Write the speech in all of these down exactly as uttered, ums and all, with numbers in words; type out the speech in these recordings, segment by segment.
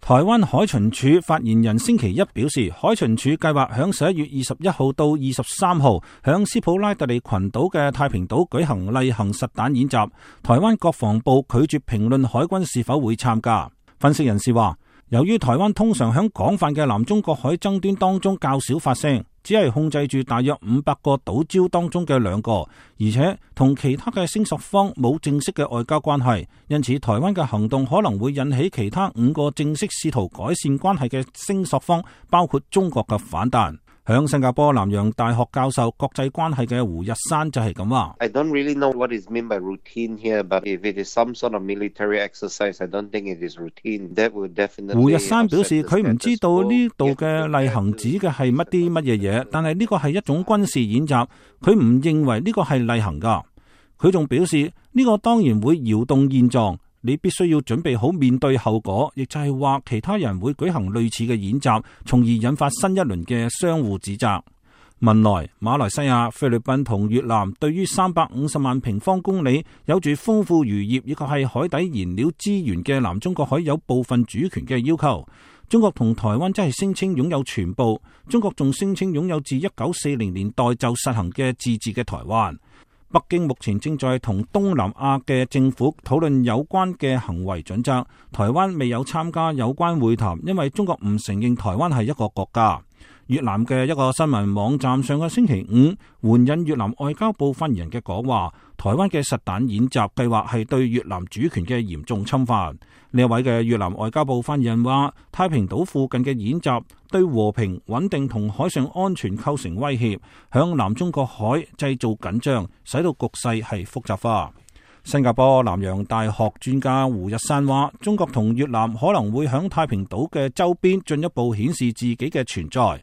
台灣海巡署發言人星期一表示，海巡署計劃響十一月二十一號到二十三號響斯普拉特利群島嘅太平島舉行例行實彈演習。台灣國防部拒絕評論海軍是否會參加。分析人士話，由於台灣通常響廣泛嘅南中國海爭端當中較少發聲，只係控制住大約五百個島礁當中嘅兩個，而且同其他嘅聲索方冇正式嘅外交關係，因此台灣嘅行動可能會引起其他五個正式試圖改善關係嘅聲索方，包括中國嘅反彈。響新加坡南洋大學教授國際關係嘅胡日山就係咁話。I don't really know what is meant by routine here, but if it is some sort of military exercise, I don't think it is routine. That would definitely. 胡日山表示佢唔知道呢度嘅例行指嘅係乜啲乜嘢嘢，但係呢個係一種軍事演習，佢唔認為呢個係例行噶。佢仲表示呢個當然會搖動現狀。你必須要準備好面對後果，亦就係話其他人會舉行類似嘅演習，從而引發新一輪嘅相互指責。文萊、馬來西亞、菲律賓同越南對於三百五十萬平方公里有住豐富漁業以及係海底燃料資源嘅南中國海有部分主權嘅要求。中國同台灣真係聲稱擁有全部，中國仲聲稱擁有自一九四零年代就實行嘅自治嘅台灣。北京目前正在同東南亞嘅政府討論有關嘅行為準則。台灣未有參加有關會談，因為中國唔承認台灣係一個國家。越南嘅一個新聞網站上個星期五援引越南外交部發言人嘅講話，台灣嘅實彈演習計劃係對越南主權嘅嚴重侵犯。呢一位嘅越南外交部發言人話，太平島附近嘅演習對和平穩定同海上安全構成威脅，響南中國海製造緊張，使到局勢係複雜化。新加坡南洋大學專家胡日山話，中國同越南可能會響太平島嘅周邊進一步顯示自己嘅存在，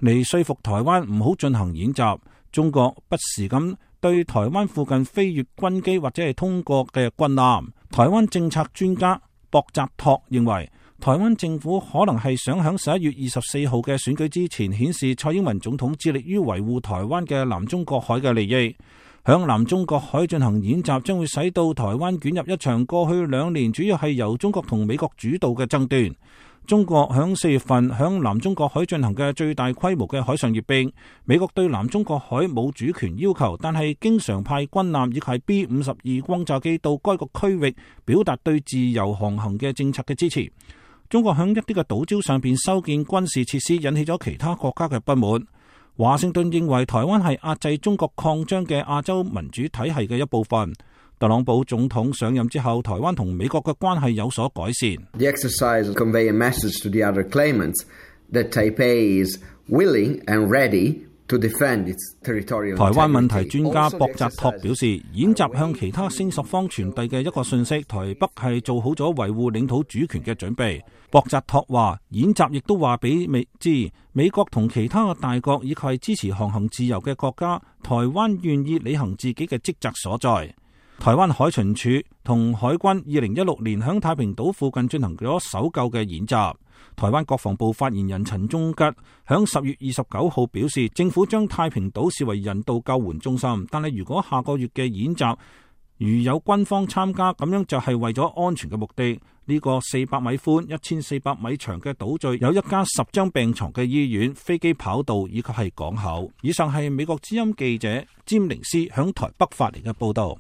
嚟說服台灣唔好進行演習。中國不時咁對台灣附近飛越軍機或者係通過嘅軍艦。台灣政策專家博澤托認為，台灣政府可能係想喺十一月二十四號嘅選舉之前顯示蔡英文總統致力於維護台灣嘅南中國海嘅利益。響南中國海進行演習將會使到台灣捲入一場過去兩年主要係由中國同美國主導嘅爭端。中國響四月份響南中國海進行嘅最大規模嘅海上閱兵。美國對南中國海冇主權要求，但係經常派軍艦以及 B 五十二轟炸機到該個區域，表達對自由航行嘅政策嘅支持。中國響一啲嘅島礁上邊修建軍事設施，引起咗其他國家嘅不滿。華盛頓認為台灣係壓制中國擴張嘅亞洲民主體系嘅一部分。特朗普總統上任之後，台灣同美國嘅關係有所改善。The exercise convey a message to the other claimants that Taipei is willing and ready to defend its territorial integrity. 台灣問題專家博澤托表示，演習向其他聲索方傳遞嘅一個信息，台北係做好咗維護領土主權嘅準備。博澤托話，演習亦都話俾美知，美國同其他嘅大國以及係支持航行自由嘅國家，台灣願意履行自己嘅職責所在。台灣海巡署同海軍二零一六年響太平島附近進行咗搜救嘅演習。台灣國防部發言人陳忠吉響十月二十九號表示，政府將太平島視為人道救援中心，但係如果下個月嘅演習如有軍方參加，咁樣就係為咗安全嘅目的。呢個四百米寬、一千四百米長嘅島嶼有一間十張病床嘅醫院、飛機跑道以及係港口。以上係美國之音記者詹寧斯響台北發嚟嘅報道。